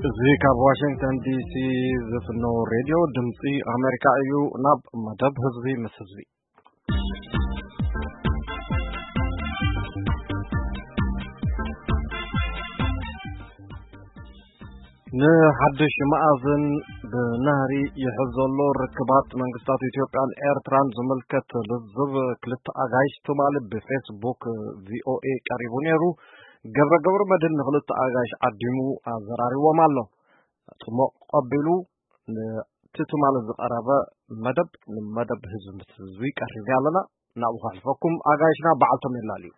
እዚ ካብ ዋሽንግተን ዲሲ ዝፍኖ ሬድዮ ድምፂ ኣሜሪካ እዩ። ናብ መደብ ህዝቢ ምስ ህዝቢ። ንሓድሽ መኣዝን ብናህሪ ይሕዝ ዘሎ ርክባት መንግስታት ኢትዮጵያን ኤርትራን ዝምልከት ልዝብ ክልተ ኣጋይሽ ትማሊ ብፌስቡክ ቪኦኤ ቀሪቡ ነይሩ። ገብረ ገብረ መድህን ንክልተ ኣጋይሽ ዓዲሙ ኣዘራሪዎም ኣሎ። ጽሞቕ ቀቢሉ ነቲ ትማሊ ዝቐረበ መደብ ንመደብ ህዝቢ ምስ ህዝቢ ቀሪብና ኣለና። ናብኡ ከሕልፈኩም ኣጋይሽና በዓልቶም የላልዩ።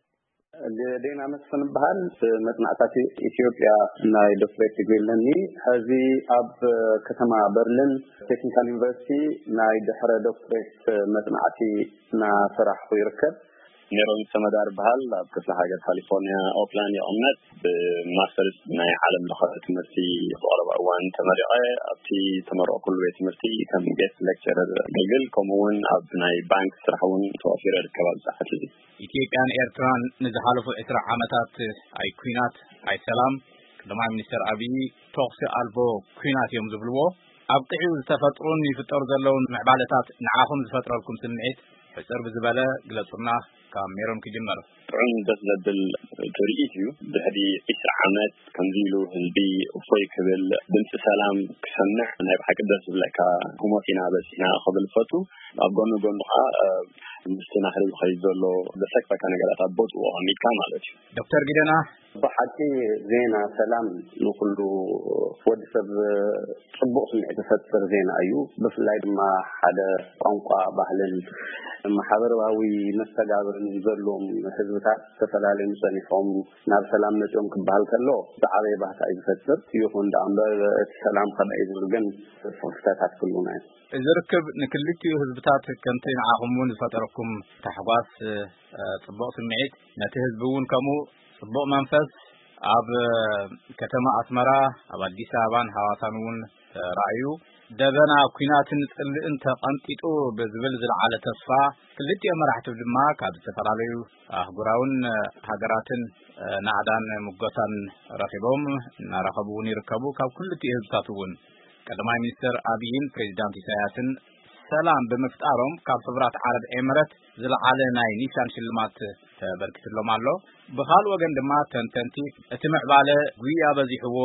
ዜና መስፍን በሃል። መጽናዕታት ኢትዮጵያ ናይ ዶክትሬት ዲግሪ ኣለኒ። ሕዚ ኣብ ከተማ በርሊን ቴክኒካል ዩኒቨርሲቲ ናይ ድሕረ ዶክትሬት መጽናዕቲ እናሰራሕኩ ይርከብ። ሜሮን ሰመዳር በሃል። ኣብ ክፍለ ሃገር ካሊፎርኒያ ኦክላንድ ይቕመጥ። ብማስተርስ ናይ ዓለም ለኸ ትምህርቲ ብቐረባ እዋን ተመሪቐ። ኣብቲ ተመረቕኩሉ ቤት ትምህርቲ ከም ጌስት ሌክቸረር ኣገልግል፣ ከምኡ እውን ኣብ ናይ ባንክ ስራሕ እውን ተዋፊረ እርከብ። ኣብ ሰዓት እዚ ኢትዮጵያን ኤርትራን ንዝሓለፉ ዕስራ ዓመታት ኣይ ኲናት ኣይ ሰላም፣ ቀዳማይ ሚኒስትር ኣብዪ፣ ተኹሲ ኣልቦ ኲናት እዮም ዝብልዎ። ኣብቂዑ ዝተፈጥሩን ይፍጠሩ ዘለውን ምዕባለታት ንዓኹም ዝፈጥረልኩም ስምዒት ሕጽር ብዝበለ ግለጹልና። ካብ ሜሮን ክጅመር። ጥዑም ደስ ዘብል ትርኢት እዩ። ድሕሪ ዕስራ ዓመት ከምዚ ኢሉ ህዝቢ እፎይ ክብል፣ ድምፂ ሰላም ክሰምዕ ናይ ብሓቂ ደስ ዝብለካ ህሞት ኢና በፂሕና ክብል ፈቱ። ኣብ ጎኒ ጎኑ ከዓ ምስቲ ናህሪ ዝኸይድ ዘሎ ዘሰክፈካ ነገራት ኣብ ቦትኡ ኣቐሚጥካ ማለት እዩ። ዶክተር ጊደና። ብሓቂ ዜና ሰላም ንኩሉ ወዲ ሰብ ጽቡቕ ስምዒት ዝፈጥር ዜና እዩ። ብፍላይ ድማ ሓደ ቋንቋ፣ ባህልን ማሕበራዊ መስተጋብርን ዘለዎም ህዝብታት ተፈላለዮም ጸኒሖም ናብ ሰላም መጺኦም ክበሃል ከሎ ዝዓበየ ባህታ እዩ ዝፈጥር። ይኹን ደኣ እምበር እቲ ሰላም ከመይ ዝብል ግን ስኽፍታታት ክህሉና እዩ። እዚ ርክብ ንክልቲኡ ህዝብታት ከምቲ ንዓኹም እውን ዝፈጠረኩም ታሕጓስ፣ ጽቡቕ ስምዒት፣ ነቲ ህዝቢ እውን ከምኡ ጽቡቕ መንፈስ ኣብ ከተማ ኣስመራ፣ ኣብ ኣዲስ ኣበባን ሃዋሳን እውን ተራእዩ። ደበና ኲናትን ጽልእን ተቐንጢጡ ብዝብል ዝለዓለ ተስፋ፣ ክልቲኦም መራሕቲ ድማ ካብ ዝተፈላለዩ ኣህጉራውን ሃገራትን ናዕዳን ሙጎሳን ረኺቦም እናረኸቡ እውን ይርከቡ። ካብ ክልቲኡ ህዝብታት እውን ቀዳማይ ሚኒስትር ኣብይን ፕሬዚዳንት ኢሳያስን ሰላም ብምፍጣሮም ካብ ሕቡራት ዓረብ ኤምረት ዝለዓለ ናይ ኒሻን ሽልማት ተበርኪትሎም ኣሎ። ብኻልእ ወገን ድማ ተንተንቲ እቲ ምዕባለ ጉያ በዚሕዎ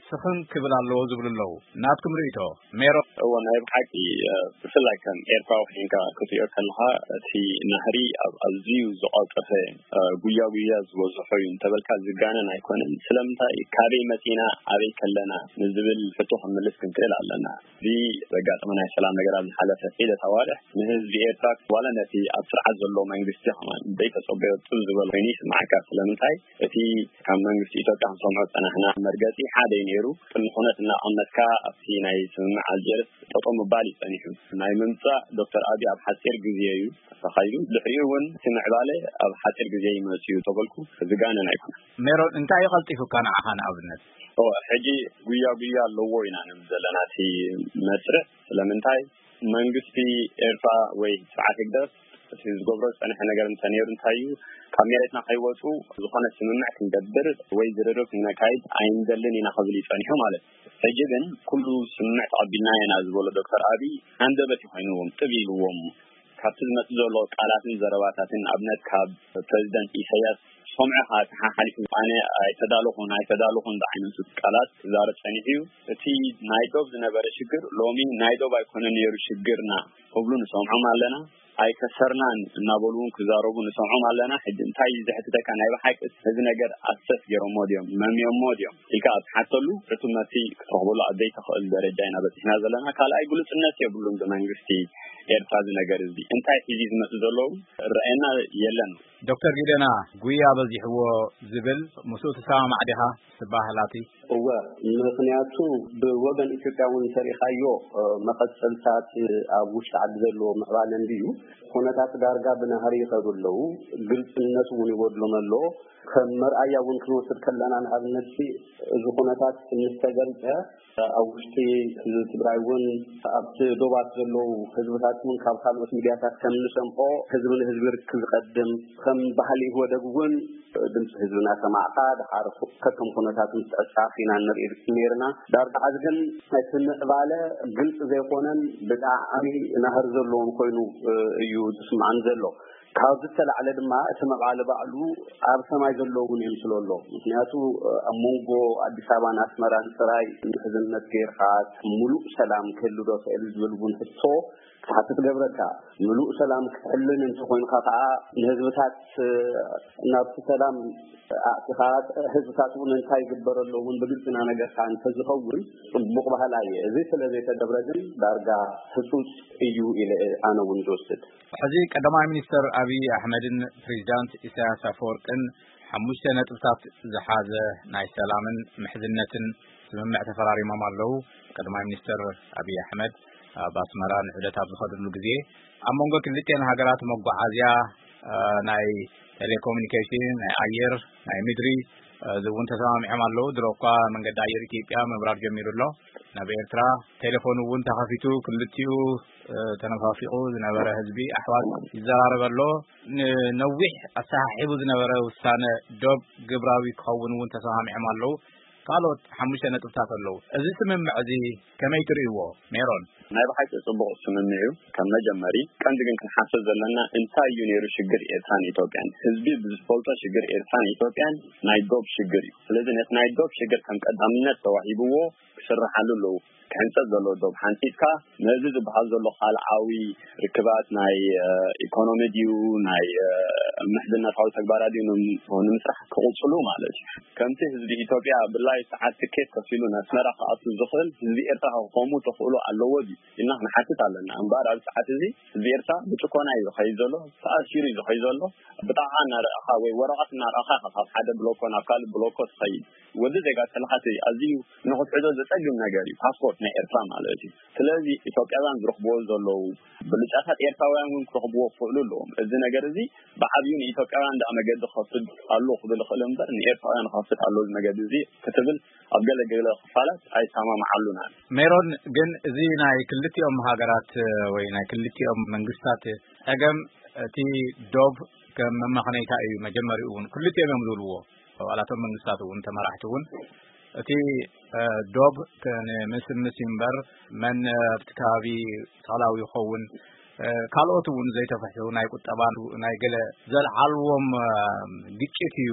ስኽን ክብል ኣለዎ ዝብሉ ኣለዉ። ናትኩም ርእይቶ ሜሮ? እዎ፣ ናይ ብሓቂ፣ እ፣ ብፍላይ ከም ኤርትራዊ ኮይንካ ክትሪኦ ከለኻ እቲ ናህሪ ኣብ ኣዝዩ ዝቐልጠፈ፣ እ፣ ጉያ ጉያ ዝበዝሖ እዩ እንተበልካ ዝጋነን ኣይኮነን። ስለምንታይ ካበይ መጺና ኣበይ ከለና ንዝብል ሕቶ ክንምልስ ክንክእል ኣለና። እዚ ዘጋጠመ ናይ ሰላም ነገር ኣብ ዝሓለፈ ሒደት ኣዋርሕ ንህዝቢ ኤርትራ ዋላ ነቲ ኣብ ስርዓት ዘሎ መንግስቲ ከማን ዘይተጸበዮ ጥብ ዝበለ ኮይኑ ይስምዓካ። ስለምንታይ እቲ ካብ መንግስቲ ኢትዮጵያ ክንሰምዖ ዝጸናሕና መርገጺ ሓደ እዩ ነይሩ። ቅድሚ ኩነት እናቐመጥካ ኣብቲ ናይ ስምምዕ ኣልጀርስ ጠጠው ምባል እዩ ጸኒሑ። ናይ ምምጻእ ዶክተር ኣብይ ኣብ ሓጺር ግዜ እዩ ተኻይዱ። ድሕሪኡ እውን እቲ ምዕባለ ኣብ ሓጺር ግዜ ይመጽእ እዩ ተበልኩ ዝጋነን ኣይኮነን። ሜሮን፣ እንታይ እዩ ቀልጢፉካ ንዓኻ ንኣብነት? ኦ፣ ሕጂ ጉያ ጉያ ኣለዎ ኢና ንብል ዘለና እቲ መስርዕ። ስለምንታይ መንግስቲ ኤርትራ ወይ ስርዓት ህግደፍ እቲ ዝገብሮ ዝጸንሐ ነገር እንተ ነይሩ እንታይ እዩ፣ ካብ መሬትና ከይወጹ ዝኾነ ስምምዕ ክንገብር ወይ ዝርርብ ክነካይድ ኣይንደልን ኢና ክብል እዩ ጸኒሑ ማለት እዩ። ሕጂ ግን ኩሉ ስምምዕ ተቐቢልና ኢና ዝበሎ ዶክተር ኣብይ ሃንደበት እዩ ኮይንዎም፣ ጥብ ኢልዎም። ካብቲ ዝመጽእ ዘሎ ቃላትን ዘረባታትን፣ ንኣብነት ካብ ፕረዚደንት ኢሳያስ ሰምዑ ከኣ ተሓሓሊፉ ኣነ ኣይተዳለኹን ኣይተዳለኹን ዝዓይነቱ ቃላት ክዛረብ ጸኒሑ እዩ። እቲ ናይ ዶብ ዝነበረ ሽግር ሎሚ ናይ ዶብ ኣይኮነን ነይሩ ሽግርና ክብሉ ንሰምዖም ኣለና። ኣይከሰርናን እናበሉ እውን ክዛረቡ ንሰምዖም ኣለና። ሕጂ እንታይ እዩ ዘሕትተካ? ናይ ብሓቂ እዚ ነገር ኣሰስ ገይሮሞ ድዮም፣ መሚዮሞ ድዮም ኢልካ ኣብ ትሓተሉ ርቱብ መልሲ ክትረኽበሉ ኣብ ዘይትኽእል ደረጃ ኢና በጺሕና ዘለና። ካልኣይ ግሉጽነት የብሉን ብመንግስቲ ኤርትራ እዚ ነገር እዚ። እንታይ ሒዙ ዝመጽእ ዘሎ እውን ረኣየና የለን። ዶክተር ጊደና፣ ጉያ በዚሕዎ ዝብል ምስኡ ትሰማማዕ ዲኻ? ትበሃል ኣቲ? እወ፣ ምኽንያቱ ብወገን ኢትዮጵያ እውን እንተሪኻዮ፣ እ፣ መቐጸልታት ኣብ ውሽጢ ዓዲ ዘለዎ ምዕባለ እንድዩ። ኩነታት ዳርጋ ብናህሪ ይኸዱ ኣለዉ። ግልጽነት እውን ይጎድሎም ኣሎ። ከም መርኣያ እውን ክንወስድ ከለና፣ ንኣብነት እዚ ኩነታት ምስ ተገልጸ፣ ኣብ ውሽጢ ህዝቢ ትግራይ እውን ኣብቲ ዶባት ዘለዉ ህዝብታት እውን ካብ ካልኦት ሚድያታት ከም ንሰምዖ፣ ህዝቢ ንህዝቢ ርክብ ዝቐድም፣ ከም ባህሊ ኢህወደግ እውን ድምፂ ህዝቢ እናሰማዕካ፣ ድሓር ከከም ኩነታት ምስ ትዕጻፍ ኢና ንርኢ ነይርና። ዳርጋ ሕዚ ግን እቲ ምዕባለ ግልፂ ዘይኮነን ብጣዕሚ ናህሪ ዘለዎን ኮይኑ እዩ ዝስምዓን ዘሎ። ካብ ዝተላዕለ ድማ እቲ ምዕባለ ባዕሉ ኣብ ሰማይ ዘሎ እውን ይምስሎ ኣሎ። ምክንያቱ ኣብ መንጎ ኣዲስ ኣበባን ኣስመራን ጥራይ ምሕዝነት ገይርካ ሙሉእ ሰላም ክህሉ ዶ ክእል ዝብል እውን ሕቶ ክትሓትት ገብረካ። ምሉእ ሰላም ክትሕልን እንተኮይንካ ከዓ ንህዝብታት ናብቲ ሰላም ኣእቲኻ፣ ህዝብታት እውን እንታይ ይግበረሎም እውን ብግልፂ እናነገርካ እንተዝኸውን ፅቡቕ ባህላ እየ። እዚ ስለ ዘይተገብረ ግን ዳርጋ ህፁፅ እዩ ኢለ ኣነ እውን ዝወስድ። ሕዚ ቀዳማይ ሚኒስተር ኣብይ ኣሕመድን ፕሬዚዳንት ኢሳያስ ኣፈወርቅን ሓሙሽተ ነጥብታት ዝሓዘ ናይ ሰላምን ምሕዝነትን ስምምዕ ተፈራሪሞም ኣለዉ። ቀዳማይ ሚኒስተር ኣብይ ኣሕመድ ኣብ ኣስመራ ንዑደት ኣብ ዝኸድሉ ግዜ፣ ኣብ መንጎ ክልቲኤን ሃገራት መጓዓዝያ፣ እ፣ ናይ ቴሌኮሙኒኬሽን፣ ናይ ኣየር፣ ናይ ምድሪ፣ እ፣ እዚ እውን ተሰማሚዖም ኣለዉ። ድሮ እኳ መንገዲ ኣየር ኢትዮጵያ ምብራር ጀሚሩ ኣሎ። ናብ ኤርትራ ቴሌፎን እውን ተኸፊቱ፣ ክልቲኡ፣ እ፣ ተነፋፊቑ ዝነበረ ህዝቢ ኣሕዋት ይዘራረብ ኣሎ። ንነዊሕ ኣሰሓሒቡ ዝነበረ ውሳነ ዶብ ግብራዊ ክኸውን እውን ተሰማሚዖም ኣለዉ። ካልኦት ሓሙሽተ ነጥብታት ኣለዉ። እዚ ስምምዕ እዚ ከመይ ትርእይዎ ሜሮን? ናይ ብሓቂ ጽቡቕ ስምምዕ እዩ። ከም መጀመሪ ቀንዲ ግን ክንሓስብ ዘለና እንታይ እዩ ነይሩ ሽግር ኤርትራን ኢትዮጵያን? ህዝቢ ብዝፈልጦ ሽግር ኤርትራን ኢትዮጵያን ናይ ዶብ ሽግር እዩ። ስለዚ ነቲ ናይ ዶብ ሽግር ከም ቀዳምነት ተዋሂብዎ ክስርሓሉ ኣለዎ። ክሕንጸጽ ዘለዎ ዶብ ሓንጺጽካ ነዚ ዝበሃል ዘሎ ካልኣዊ ርክባት ናይ፣ እ፣ ኢኮኖሚ ድዩ፣ ናይ፣ እ፣ ምሕዝነታዊ ተግባራት ድዩ ንም-፣ ንምስራሕ ክቕጽሉ ማለት እዩ። ከምቲ ህዝቢ ኢትዮጵያ ብላይ ሰዓት ትኬት ከፊሉ ንኣስመራ ክኣቱ ዝኽእል ህዝቢ ኤርትራ ክኸሙ ተኽእሎ ኣለዎ ድዩ ኢልና ክንሓትት ኣለና። እምበኣር ኣብዚ ሰዓት እዚ ህዝቢ ኤርትራ ብጭኮና እዩ ዝኸይድ ዘሎ፣ ተኣሲሩ እዩ ዝኸይድ ዘሎ። ብጣቕዓ እናረኣኻ ወይ ወረቐት እናረኣኻ ኢኻ ካብ ሓደ ብሎኮ ናብ ካልእ ብሎኮ ትኸይድ። ወዲ ዜጋ ተለሓሲ ኣዝዩ ንኽትሕዞ ዘጸግም ነገር እዩ፣ ፓስፖርት ናይ ኤርትራ ማለት እዩ። ስለዚ ኢትዮጵያውያን ዝረኽብዎ ዘለዉ ብልጫታት ኤርትራውያን እውን ክረኽብዎ ክኽእሉ ኣለዎም። እዚ ነገር እዚ ብዓብዩ ንኢትዮጵያውያን ደኣ መገዲ ክኸፍት ኣሎ ክብል ይኽእል እምበር ንኤርትራውያን ክኸፍት ኣሎ እዚ መገዲ እዚ ክትብል ኣብ ገለ ገለ ክፋላት ኣይሰማምዓሉን ኣነ። ሜሮን፣ ግን እዚ ናይ ክልቲኦም ሃገራት ወይ ናይ ክልቲኦም መንግስታት ጸገም እቲ ዶብ ከም መመኽነይታ እዩ መጀመሪኡ እውን ክልቲኦም እዮም ዝብልዎ። ኣባላቶም መንግስታት እውን ተመራሕቲ እውን እቲ፣ እ፣ ዶብ ክ-፣ ንምስምስ እዩ እምበር መን ኣብቲ ከባቢ ተኽላዊ ይኸውን፣ እ፣ ካልኦት እውን ዘይተፈትሑ ናይ ቁጠባ ናይ ገለ ዘልዓልዎም፣ እ፣ ግጭት እዩ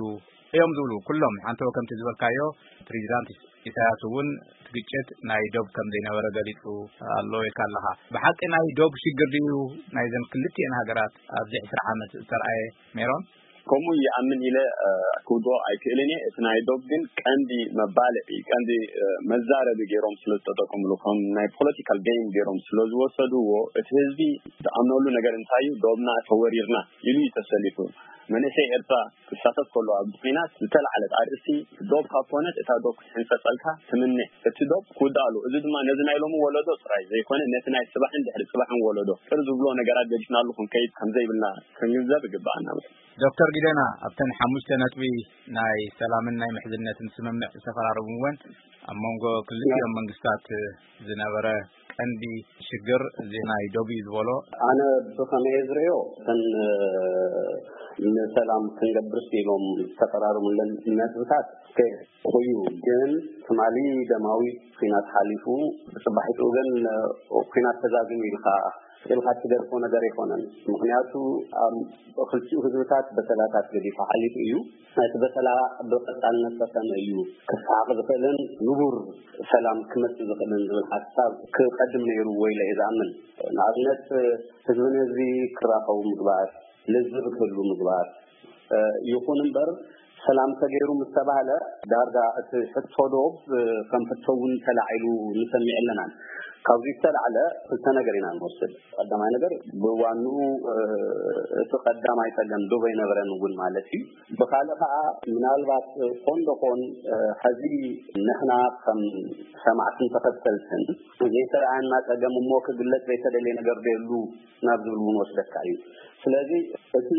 እዮም ዝብሉ። ኩሎም ሓንቲ ከምቲ ዝበልካዮ ፕሬዚዳንት ኢሳያስ እውን እቲ ግጭት ናይ ዶብ ከም ዘይነበረ ገሊጹ ኣሎ ኢልካ ኣለኻ። ብሓቂ ናይ ዶብ ሽግር ድዩ ናይዘን ክልቲኤን ሃገራት ኣብዚ ዕስራ ዓመት ዝተርኣየ ሜሮን? ከምኡ ይኣምን ኢለ፣ እ፣ ክውድኦ ኣይክእልን እየ። እቲ ናይ ዶብ ግን ቀንዲ መባልዒ፣ ቀንዲ፣ እ፣ መዛረቢ ገይሮም ስለ ዝተጠቀምሉ፣ ከም ናይ ፖለቲካል ጌም ገይሮም ስለ ዝወሰድዎ፣ እቲ ህዝቢ ዝኣምነሉ ነገር እንታይ እዩ? ዶብና ተወሪርና ኢሉ እዩ ተሰሊፉ። መንእሰይ ኤርትራ ክሳተፍ ከሎ ኣብዚ ኲናት ዝተላዕለት ኣርእስቲ ዶብ ካብ ኮነት እታ ዶብ ክትሕንጸጸልካ ትምነ። እቲ ዶብ ክውዳእ ኣለዎ። እዚ ድማ ነዚ ናይ ሎሚ ወለዶ ጥራይ ዘይኮነ ነቲ ናይ ጽባሕን ድሕሪ ጽባሕን ወለዶ ቅር ዝብሎ ነገራት ገዲፍናሉ ክንከይድ ከም ዘይብልና ክንግንዘብ ይግብኣና። ዶክተር ጊደና፣ ኣብተን ሓሙሽተ ነጥቢ ናይ ሰላምን ናይ ምሕዝነትን ስምምዕ ዝተፈራረሙ እውን ኣብ መንጎ ክልቲኦም መንግስታት ዝነበረ ቀንዲ ሽግር እዚ ናይ ዶብ እዩ ዝበሎ። ኣነ ብኸመይ ዝርእዮ፣ እተን፣ እ፣ ንሰላም ክንገብርስ ኢሎም ዝተፈራረሙለን ነጥብታት ከይሕቁ እዩ። ግን ትማሊ ደማዊ ኲናት ሓሊፉ፣ ብጽባሒቱ ግን፣ እ፣ ኲናት ተዛዚሙ ኢልካ ኢልካ ትገድፎ ነገር ኣይኮነን። ምኽንያቱ ኣብ ክልቲኡ ህዝብታት በሰላታት ገዲፉ ሓሊፉ እዩ። እቲ በሰላ ብቐጻልነት ከ ከመይ እዩ ክሰሓቕ ዝኽእልን ንቡር ሰላም ክመጽእ ዝኽእልን ዝብል ሓሳብ ክቐድም ነይሩ ወይ ኢለ እየ ዝኣምን። ንኣብነት ህዝቢ ንህዝቢ ክራኸቡ ምግባር፣ ልዝብ ክህሉ ምግባር፣ እ፣ ይኹን እምበር ሰላም ተገይሩ ምስ ተባህለ ዳርጋ እቲ ሕቶ ዶብ፣ እ፣ ከም ሕቶ እውን ተላዒሉ ንሰሚዕ ኣለናን። ካብዚ ዝተላዕለ ክልተ ነገር ኢና ንወስድ። ቀዳማይ ነገር ብዋንኡ እቲ ቀዳማይ ጸገም ዶብ ኣይነበረን እውን ማለት እዩ። ብኻልእ ከዓ ምናልባት ኮን ዶኾን ሕዚ ንሕና ከም ሰማዕትን ተኸተልትን ዘይተረኣየና ጸገም እሞ ክግለጽ ዘይተደልየ ነገር ዶ የሉ ናብ ዝብል እውን ወስደካ እዩ። ስለዚ እቲ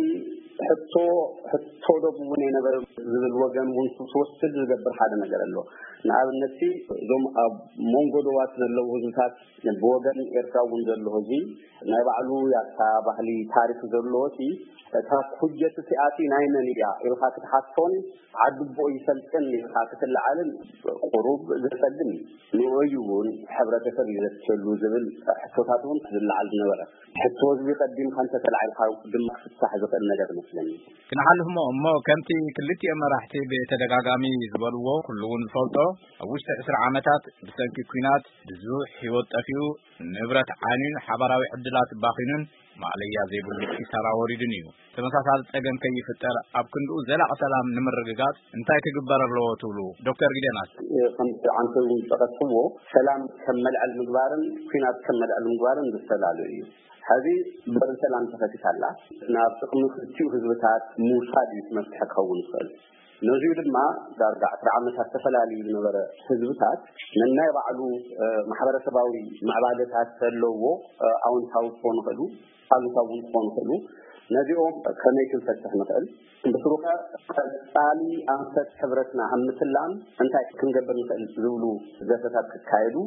ሕቶ ሕቶ ዶብ እውን ኣይነበረ ዝብል ወገን እውን ክትወስድ ዝገብር ሓደ ነገር ኣሎ። ንኣብነት እዞም ኣብ መንጎ ዶባት ዘለዉ ህዝብታት ብወገን ኤርትራ እውን ዘሎ ህዝቢ ናይ ባዕሉ ያታ ባህሊ ታሪክ ዘለዎ እቲ እታ ኩጀት እቲኣቲ ናይ መን እያ ኢልካ ክትሓቶን ዓዲ ቦ ይፈልጥን ኢልካ ክትለዓልን ቁሩብ ዘጸግም እዩ። ንኡ እዩ እውን ሕብረተሰብ እዩ ዘትሸሉ ዝብል ሕቶታት እውን ዝለዓል ዝነበረ። ሕቶ ህዝቢ ቀዲምካ እንተተላዒልካ ድማ ክፍታሕ ዝኽእል ነገር ይመስለኒ። ክንሓልፍ እሞ እሞ ከምቲ ክልቲኦም መራሕቲ ብተደጋጋሚ ዝበልዎ ኩሉ እውን ዝፈልጦ ኣብ ውሽጢ ዕስራ ዓመታት ብሰንኪ ኲናት ብዙሕ ህይወት ጠፊኡ፣ ንብረት ዓንዩን ሓባራዊ ዕድላት ባኺኑን ማእለያ ዘይብሉ ኪሳራ ወሪዱን እዩ። ተመሳሳሊ ጸገም ከይፍጠር ኣብ ክንድኡ ዘላቂ ሰላም ንምርግጋጽ እንታይ ክግበር ኣለዎ ትብሉ ዶክተር ጊደናስ? ከምቲ ዓንተ እውን ዝጠቐስዎ ሰላም ከም መልዕል ምግባርን ኲናት ከም መልዕል ምግባርን ዝተፈላለዩ እዩ። ሕዚ በሪ ሰላም ተኸፊታ ኣላ። ናብ ጥቕሚ ክልቲኡ ህዝብታት ምውሳድ እዩ እቲ መፍትሒ ክኸውን ዝኽእል። ነዚኡ ድማ ዳርጋ ዕስራ ዓመታት ተፈላልዩ ዝነበረ ህዝብታት ነናይ ባዕሉ ማሕበረሰባዊ ምዕባለታት ዘለዎ ኣውንታዊ ክኾኑ ይኽእሉ፣ ኣሉታዊ እውን ክኾኑ ይኽእሉ። ነዚኦም ከመይ ክንፈትሕ ንኽእል? ብስሩኸ ቀጻሊ ኣንፈት ሕብረትና ኣብ ምትላም እንታይ ክንገብር ንኽእል ዝብሉ ዘተታት ክካየዱ፣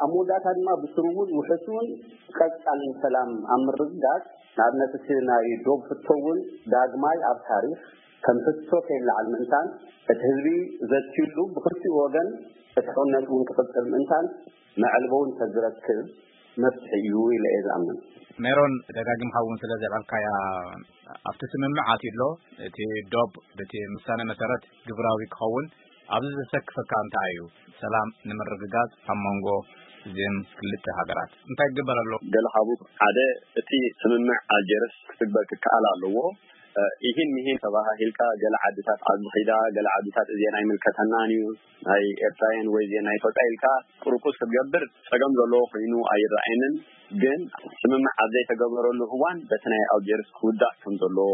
ኣብ መወዳእታ ድማ ብስሩ እውን ውሕስን ቀጻልን ሰላም ኣብ ምርግጋጽ፣ ንኣብነት እቲ ናይ ዶብ ሕቶ እውን ዳግማይ ኣብ ታሪኽ ከም ሕቶ ከይለዓል ምእንታን እቲ ህዝቢ ዘትዩሉ ብክልቲኡ ወገን እቲ ሕውነት እውን ክቕጽል ምእንታን መዕልቦ እውን ተዝረክብ መፍትሒ እዩ ኢለ እየ ዝኣምን። ሜሮን፣ ደጋጊምካ እውን ስለ ዘልዓልካያ ኣብቲ ስምምዕ ኣትዩ ኣሎ። እቲ ዶብ በቲ ውሳነ መሰረት ግብራዊ ክኸውን ኣብዚ ዘሰክፈካ እንታይ እዩ? ሰላም ንምርግጋጽ ኣብ መንጎ እዚን ክልተ ሃገራት እንታይ ይግበር ኣሎ? ገለ ካብኡ ሓደ እቲ ስምምዕ ኣልጀርስ ክትግበር ክከኣል ኣለዎ። ይህን ይህን ተባሃሂልካ ገለ ዓድታት ዓዲ ኺዳ፣ ገለ ዓድታት እዚአን ኣይምልከተናን እዩ ናይ ኤርትራውያን ወይ እዚአን ናይ ኢትዮጵያ ኢልካ ቁርቁስ ክትገብር ጸገም ዘለዎ ኮይኑ ኣይረኣየንን። ግን ስምምዕ ኣብ ዘይተገበረሉ እዋን በቲ ናይ ኣልጀርስ ክውዳእ ከም ዘለዎ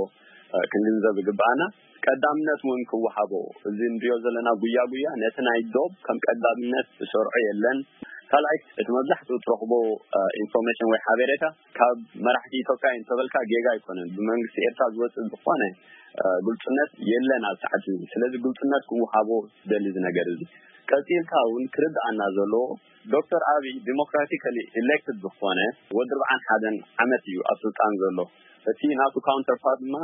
ክንግንዘብ ይግብኣና። ቀዳምነት እውን ክወሃቦ፣ እዚ ንሪኦ ዘለና ጉያ ጉያ ነቲ ናይ ዶብ ከም ቀዳምነት ዝሰርዖ የለን። ካልኣይ እቲ መብዛሕትኡ ትረኽቦ ኢንፎርሜሽን ወይ ሓበሬታ ካብ መራሕቲ ኢትዮጵያ እዩ እንተበልካ ጌጋ ኣይኮነን። ብመንግስቲ ኤርትራ ዝወፅእ ዝኾነ ግልፅነት የለን ኣብ ሰዓት እዚ። ስለዚ ግልፅነት ክወሃቦ ዝደሊ እዚ ነገር እዚ። ቀፂልካ እውን ክርድኣና ዘለዎ ዶክተር ኣብይ ዲሞክራቲካሊ ኢሌክትድ ዝኾነ ወዲ ኣርብዓን ሓደን ዓመት እዩ ኣብ ስልጣን ዘሎ። እቲ ናቱ ካውንተርፓርት ድማ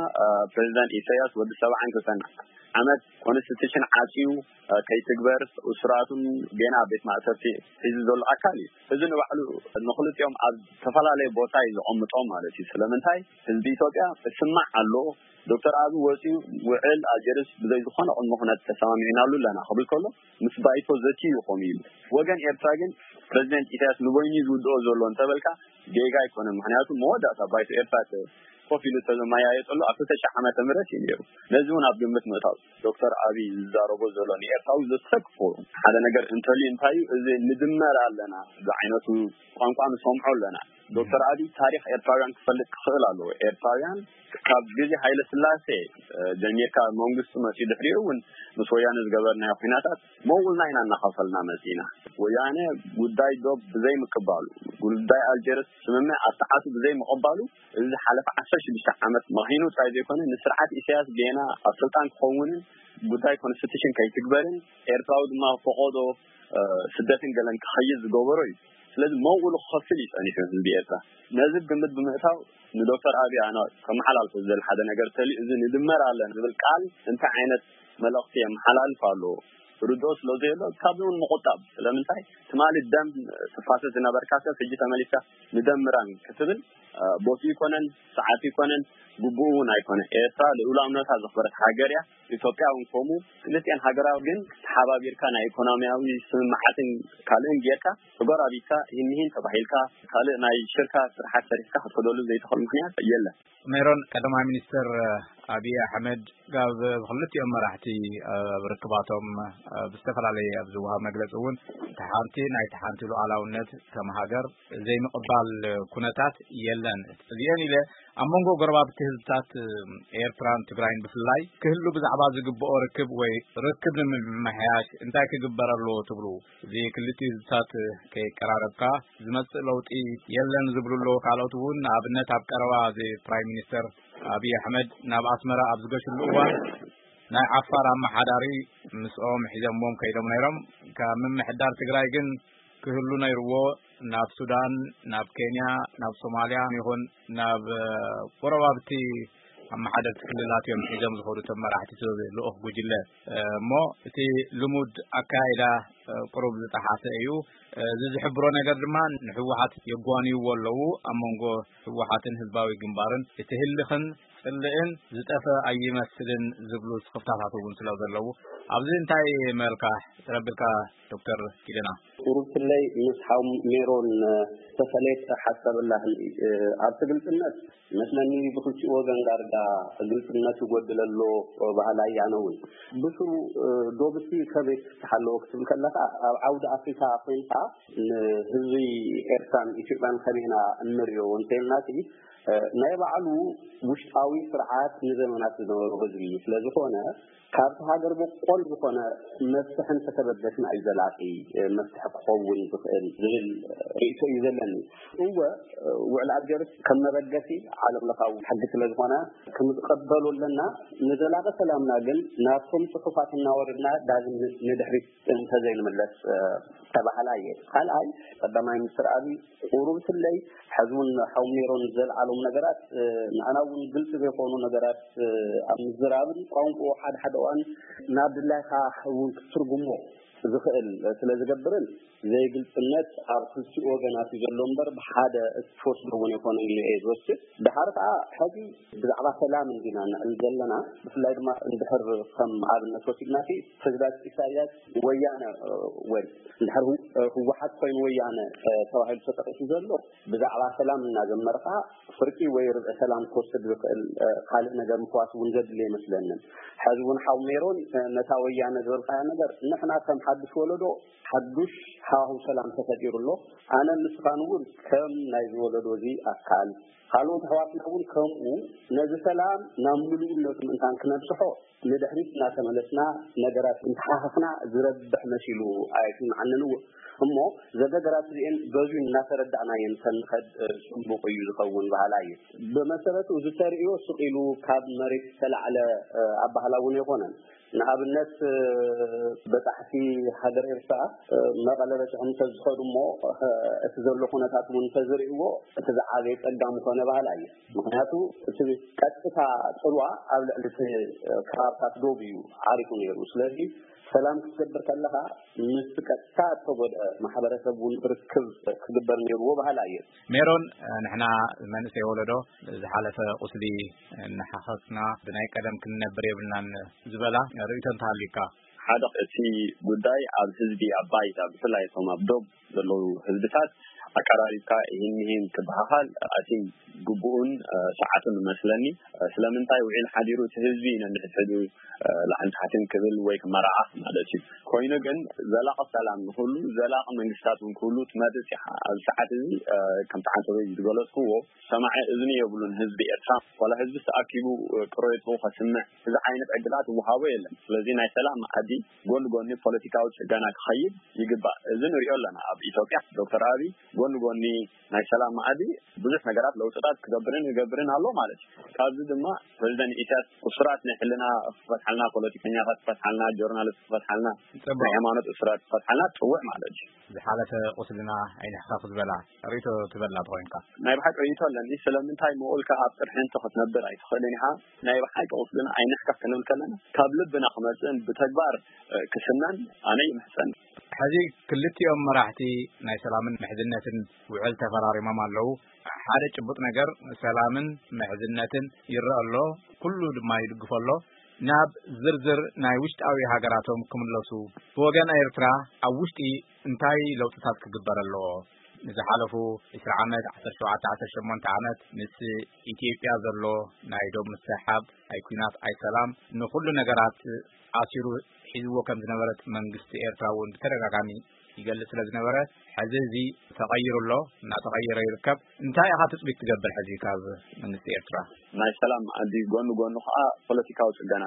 ፕሬዚደንት ኢሳያስ ወዲ ሰብዓን ክልተን ዓመት ኮንስቲቱሽን ዓፅዩ ከይትግበር እሱራቱን ጌና ኣብ ቤት ማእሰርቲ ሒዙ ዘሎ ኣካል እዩ። እዚ ንባዕሉ ንክልቲኦም ኣብ ዝተፈላለየ ቦታ እዩ ዘቐምጦም ማለት እዩ። ስለምንታይ ህዝቢ ኢትዮጵያ እስማዕ ኣሎ። ዶክተር ኣብይ ወፂኡ ውዕል ኣልጀርስ ብዘይ ዝኾነ ቅድመ ኩነት ተሰማሚዕናሉ ኣለና ክብል ከሎ ምስ ባይቶ ዘትዩ ይኾኑ እዩ። ወገን ኤርትራ ግን ፕሬዚደንት ኢሳያስ ንበይኑ ዝውድኦ ዘሎ እንተበልካ ጌጋ ኣይኮነን። ምክንያቱ መወዳእታ ባይቶ ኤርትራ ኮፍ ኢሉ ተዘመያየጠሉ ኣብ ክልተ ሺሕ ዓመተ ምህረት እዩ ነይሩ። ነዚ እውን ኣብ ግምት ምእታው ዶክተር ኣብይ ዝዛረቦ ዘሎ ንኤርትራዊ ዘሰክፎ ሓደ ነገር እንተልዩ እንታይ እዩ? እዚ ንድመር ኣለና ዝዓይነቱ ቋንቋ ንሰምዖ ኣለና። ዶክተር ኣብይ ታሪኽ ኤርትራውያን ክፈልጥ ክኽእል ኣለዎ። ኤርትራውያን ካብ ግዜ ሃይለ ስላሴ ጀሚርካ መንግስቱ መፅኡ ድሕሪኡ እውን ምስ ወያነ ዝገበርናዮ ኩናታት መውልና ኢና እናኸፈልና መፂና። ወያነ ጉዳይ ዶብ ብዘይምቅባሉ፣ ጉዳይ ኣልጀርስ ስምምዕ ኣብ ሰዓቱ ብዘይምቅባሉ እዚ ዝሓለፈ ዓሰርተ ሽዱሽተ ዓመት መኺኑ ጥራይ ዘይኮነ ንስርዓት ኢሳያስ ጌና ኣብ ስልጣን ክኸውንን ጉዳይ ኮንስቲቱሽን ከይትግበርን ኤርትራዊ ድማ ፈቆዶ ስደትን ገለን ክኸይድ ዝገበሮ እዩ። ስለዚ መውሉ ክኸፍል እዩ ጸኒሑ ህዝቢ ኤርትራ። ነዚ ግምት ብምእታው ንዶክተር ኣብይ ኣነ ከመሓላልፎ ዝደሊ ሓደ ነገር ተልዩ እዚ ንድመር ኣለና ዝብል ቃል እንታይ ዓይነት መልእኽቲ የመሓላልፍ ኣሎ ርድኦ ስለ ዘየሎ ካብዚ እውን ምቁጣብ። ስለምንታይ ትማሊ ደም ትፋሰስ ዝነበርካ ሰብ ሕጂ ተመሊስካ ንደምራን ክትብል ቦቲ ይኮነን ሰዓት ይኮነን ግቡእ እውን ኣይኮነ። ኤርትራ ልኡላውነታ ዘኽበረት ሃገር እያ። ኢትዮጵያ እውን ከምኡ። ክልቲኤን ሃገራት ግን ተሓባቢርካ ናይ ኢኮኖሚያዊ ስምምዓትን ካልእን ጌርካ ተጎራቢትካ ይህን ይህን ተባሂልካ ካልእ ናይ ሽርካ ስርሓት ሰሪሕካ ክትከደሉ ዘይትኽእል ምክንያት የለን። ሜሮን፣ ቀዳማይ ሚኒስትር ኣብይ ኣሕመድ ካብ ክልቲኦም መራሕቲ ኣብ ርክባቶም ብዝተፈላለየ ኣብ ዝወሃብ መግለፂ እውን እቲ ሓንቲ ናይቲ ሓንቲ ሉዓላውነት ከም ሃገር ዘይምቕባል ኩነታት የለን። እዚአን ኢለ ኣብ መንጎ ጎረባብቲ ህዝብታት ኤርትራን ትግራይን ብፍላይ ክህሉ ብዛዕባ ዝግብኦ ርክብ ወይ ርክብ ንምምሕያሽ እንታይ ክግበር ኣለዎ ትብሉ? እዚ ክልቲኡ ህዝብታት ከይቀራረብካ ዝመጽእ ለውጢ የለን ዝብሉ ኣለዉ። ካልኦት እውን ንኣብነት ኣብ ቀረባ እዚ ፕራይም ሚኒስተር ኣብይ ኣሕመድ ናብ ኣስመራ ኣብ ዝገሽሉ እዋን ናይ ዓፋር ኣመሓዳሪ ምስኦም ሒዘሞም ከይዶም ነይሮም። ካብ ምምሕዳር ትግራይ ግን ክህሉ ነይርዎ። ናብ ሱዳን፣ ናብ ኬንያ፣ ናብ ሶማልያ ይኹን ናብ ጎረባብቲ ኣመሓደርቲ ክልላት እዮም ሒዞም ዝኸዱ እቶም መራሕቲ እቲ ልኡኽ ጉጅለ። እሞ እቲ ልሙድ ኣካይዳ ቁሩብ ዝጠሓሰ እዩ። እዚ ዝሕብሮ ነገር ድማ ንህወሓት የጓንይዎ ኣለዉ። ኣብ መንጎ ህወሓትን ህዝባዊ ግንባርን እቲ ህልኽን ጽልእን ዝጠፈ ኣይመስልን ዝብሉ ስኽፍታታት እውን ስለ ዘለዉ፣ ኣብዚ እንታይ መልካ ትረብልካ ዶክተር ኪደና? ቁሩብ ስለይ ምስ ሓው ሜሮን ዝተፈለየ ሓሳብ ኣላህን ኣብቲ ግልጽነት መስለኒ ብክልቲኡ ወገን ዳርጋ ግልጽነት ይጎድል ኣሎ ባህላ እያነ እውን ብስሩ ዶብሲ ከመይ ትፍትሓ ኣለዎ ክትብል ከለካ ኣብ ዓውዲ ኣፍሪካ ኮይንካ ንህዝቢ ኤርትራን ኢትዮጵያን ከመይና እንሪኦ እንተይልና ናይ ባዕሉ ውሽጣዊ ስርዓት ንዘመናት ዝነበሩ ህዝቢ እዩ። ስለዝኾነ ካብቲ ሃገር በቆል ዝኾነ መፍትሒ እንተተበገስና እዩ ዘላቂ መፍትሒ ክኸውን ዝኽእል ዝብል ርእይቶ እዩ ዘለኒ። እወ ውዕል ኣልጀርስ ከም መበገሲ ዓለም ለኻዊ ሕጊ ስለዝኾነ ክንቀበሎ ኣለና። ንዘላቂ ሰላምና ግን ናብቶም ጽሑፋት እናወረድና ዳግም ንድሕሪት እንተዘይንምለስ ተባህላ እየ። ካልኣይ ቀዳማይ ሚኒስትር ኣብይ ቁሩብ ስለይ ሕዚ እውን ሓው ሜሮን ዘልዓሎም ነገራት ንኣና እውን ግልፂ ዘይኮኑ ነገራት ኣብ ምዝራብን ቋንቋ ሓደ ሓደ እዋን ናብ ድላይካ እውን ክትትርጉሞ ዝኽእል ስለ ዝገብርን ዘይግልፅነት ኣብ ክልቲኡ ወገናት እዩ ዘሎ እምበር ብሓደ እትወስዶ እውን ኣይኮነን ኢለ እየ ዝወስድ። ድሓር ከዓ ሕዚ ብዛዕባ ሰላም እንዲና ንዕል ዘለና ብፍላይ ድማ እንድሕር ከም ኣብነት ወሲድና ፕሬዚዳንት ኢሳያስ ወያነ ወይ እንድሕር ህወሓት ኮይኑ ወያነ ተባሂሉ ተጠቂሱ ዘሎ ብዛዕባ ሰላም እናዘመርካ ፍርቂ ወይ ርብዒ ሰላም ክወስድ ዝኽእል ካልእ ነገር ምፍዋስ እውን ዘድሊ ኣይመስለንን። ሕዚ እውን ሓው ሜሮን ነታ ወያነ ዝበልካያ ነገር ንሕና ከም ሓዱሽ ወለዶ ሓዱሽ ሃዋህው ሰላም ተፈጢሩ ኣሎ። ኣነ ንስኻን እውን ከም ናይዚ ወለዶ እዚ ኣካል ካልኦት ኣሕዋትና እውን ከምኡ ነዚ ሰላም ናብ ምሉእነቱ ምእንታን ክነብፅሖ ንድሕሪት እናተመለስና ነገራት እንተሓኸኽና ዝረብሕ መሲሉ ኣይስምዓንን እውን። እሞ እዘን ነገራት እዚአን በዙ እናተረዳእናየን ተንኸድ ፅቡቕ እዩ ዝኸውን በሃላ እዩ። ብመሰረቱ እዚ ተርእዮ ስቕ ኢሉ ካብ መሬት ዝተላዕለ ኣባህላ እውን ኣይኮነን። ንኣብነት በፃሕቲ ሃገር ኤርትራ መቐለ በፂሖም እንተዝኸዱ እሞ እቲ ዘሎ ኩነታት እውን እንተዝርእይዎ እቲ ዝዓበየ ፀጋ ምኾነ በሃላ እዩ። ምክንያቱ እቲ ቀጥታ ፅልዋ ኣብ ልዕሊ እቲ ከባብታት ዶብ እዩ ዓሪፉ ነይሩ። ስለዚ ሰላም ክትገብር ከለካ ምስ ቀጥታ እተጎድአ ማሕበረሰብ እውን ርክብ ክግበር ነይርዎ በሃላ እየ። ሜሮን፣ ንሕና መንእሰይ ወለዶ ዝሓለፈ ቁስሊ እናሓኸክና ብናይ ቀደም ክንነብር የብልናን ዝበላ ርእይቶ እንተሃልዩካ? ሓደ እቲ ጉዳይ ኣብ ህዝቢ ኣብ ባይታ ብፍላይ እቶም ኣብ ዶብ ዘለዉ ህዝብታት ኣቀራሪብካ ይህን ይህን ክበሃሃል ኣቲም ግቡኡን ሰዓቱን መስለኒ። ስለምንታይ ውዒል ሓዲሩ እቲ ህዝቢ ነንሕድሕዱ ላዕልን ታሕትን ክብል ወይ ክመራዓኽ ማለት እዩ። ኮይኑ ግን ዘላቂ ሰላም ንክህሉ ዘላቂ መንግስታት እውን ክህሉ ትመርጽ ኢኻ። ኣብዚ ሰዓት እዚ ከምቲ ዓንተበይ ዝገለጽክዎ ሰማዒ እዝኒ የብሉን ህዝቢ ኤርትራ። ዋላ ህዝቢ ተኣኪቡ ቅሬቱ ከስምዕ እዚ ዓይነት ዕድላት ዝወሃቦ የለን። ስለዚ ናይ ሰላም መኣዲ ጎኒ ጎኒ ፖለቲካዊ ጽገና ክኸይድ ይግባእ። እዚ ንሪኦ ኣለና ኣብ ኢትዮጵያ። ዶክተር ኣብይ ጎኒ ጎኒ ናይ ሰላም መኣዲ ብዙሕ ነገራት ለውጥታት ክገብርን ይገብርን ኣሎ ማለት እዩ። ካብዚ ድማ ፕሬዚደንት ኢሳያስ እሱራት ናይ ሕልና ክፈትሓልና፣ ፖለቲከኛታት ክፈትሓልና፣ ጆርናሊስት ክፈትሓልና፣ ናይ ሃይማኖት እሱራት ክፈትሓልና ትፅውዕ ማለት እዩ። ዝሓለፈ ቁስልና ኣይንሕከኽ ዝበላ ርእይቶ ትበላ ተኾይንካ? ናይ ብሓቂ ርእይቶ ኣለኒ። ስለምንታይ ምኡልካ ኣብ ጥርሕንቲ ክትነብር ኣይትኽእልን ኢኻ። ናይ ብሓቂ ቁስልና ኣይንሕከኽ ክንብል ከለና ካብ ልብና ክመፅእን ብተግባር ክስነን ኣነ ይምሕፀን። ሕዚ ክልቲኦም መራሕቲ ናይ ሰላምን ምሕዝነትን ውዕል ተፈራሪሞም ኣለዉ። ሓደ ጭቡጥ ነገር ሰላምን ምሕዝነትን ይረአ ኣሎ፣ ኩሉ ድማ ይድግፎ ኣሎ። ናብ ዝርዝር ናይ ውሽጣዊ ሃገራቶም ክምለሱ ብወገን ኤርትራ ኣብ ውሽጢ እንታይ ለውጥታት ክግበር ኣለዎ? ንዝሓለፉ ዕስራ ዓመት፣ ዓሰርተ ሸውዓተ፣ ዓሰርተ ሸሞንተ ዓመት ምስ ኢትዮጵያ ዘሎ ናይ ዶብ ምስሕሓብ ኣይ ኲናት ኣይ ሰላም ንኹሉ ነገራት ኣሲሩ ሒዝዎ ከም ዝነበረት መንግስቲ ኤርትራ እውን ብተደጋጋሚ ይገልጽ ስለ ዝነበረ፣ ሕዚ እዚ ተቐይሩ ኣሎ፣ እናተቐየረ ይርከብ። እንታይ ኢኻ ትጽቢት ትገብር ሕዚ ካብ መንግስቲ ኤርትራ? ናይ ሰላም ኣዲ ጎኑ ጎኑ ከዓ ፖለቲካዊ ጽገና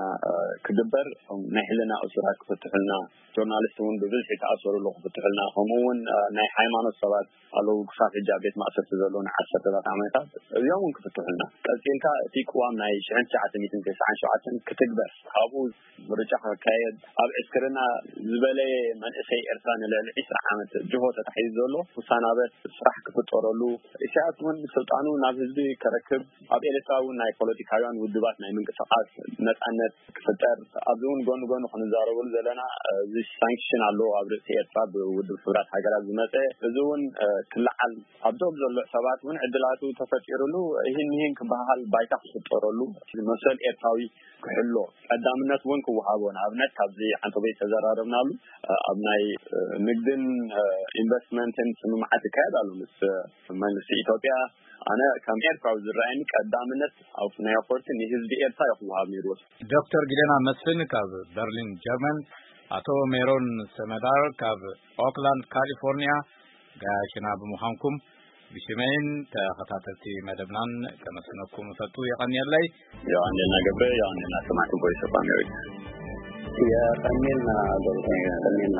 ክግበር፣ ናይ ሕልና እሱራት ክፍትሑልና፣ ጆርናሊስት እውን ብብዝሒ ተኣሰሩ ኣለዉ ክፍትሑልና፣ ከምኡ እውን ናይ ሃይማኖት ሰባት ኣለዉ ክሳብ ሕጂ ኣብ ቤት ማእሰርቲ ዘለዉ ንዓሰርተታት ዓመታት፣ እዚኦም እውን ክፍትሑልና። ቀጺልካ እቲ ቅዋም ናይ ሽሕን ትሽዓተ ሚእትን ተስዓን ሸውዓተን ክትግበር፣ ካብኡ ምርጫ ክካየድ፣ ኣብ ዕስክርና ዝበለየ መንእሰይ ኤርትራ ንልዕሊ ዕስራ ዓመት ጅሆ ተታሒዙ ዘሎ ክሰናበት፣ ስራሕ ክፍጠረሉ፣ ኢሳያስ እውን ስልጣኑ ናብ ህዝቢ ከረክብ፣ ኣብ ኤርትራ እውን ናይ ፖለቲካውያን ውድባት ናይ ምንቅስቃስ ነጻነት ክፍጠር፣ ኣብዚ እውን ጎኒ ጎኒ ክንዛረበሉ ዘለና፣ እዚ ሳንክሽን ኣሎ ኣብ ርእሲ ኤርትራ ብውድብ ሕቡራት ሃገራት ዝመጸ፣ እዚ እውን ክለዓል፣ ኣብዞም ዘሎ ሰባት እውን ዕድላቱ ተፈጢሩሉ፣ ይህን ይህን ክበሃል ባይታ ክፍጠረሉ፣ መሰል ኤርትራዊ ክሕሎ፣ ቀዳምነት እውን ክወሃቦ፣ ንኣብነት ካብዚ ዓንተቦይ ዝተዘራረብናሉ፣ ኣብ ናይ ንግድን ኢንቨስትመንትን ስምምዓት ይካየድ ኣሎ ምስ መንግስቲ ኢትዮጵያ። ኣነ ከም ኤርትራዊ ዝረኣየኒ ቀዳምነት ኣብ ናይ ኣኮርቲ ንህዝቢ ኤርትራ እዩ ክወሃብ ነይርዎ። ዶክተር ጊደና መስፍን ካብ በርሊን ጀርመን፣ ኣቶ ሜሮን ሰመዳር ካብ ኦክላንድ ካሊፎርኒያ፣ ጋያሽና ብምዃንኩም ብሽመይን ተኸታተልቲ መደብናን ከመስግነኩም እፈቱ። የቐንየለይ። ዮሃንዴና ገብረ፣ ዮሃንዴና ሰማዕቲ ቮይስ ኦፍ ኣሜሪካ። የቐንየልና ገብረ፣ የቐንየልና።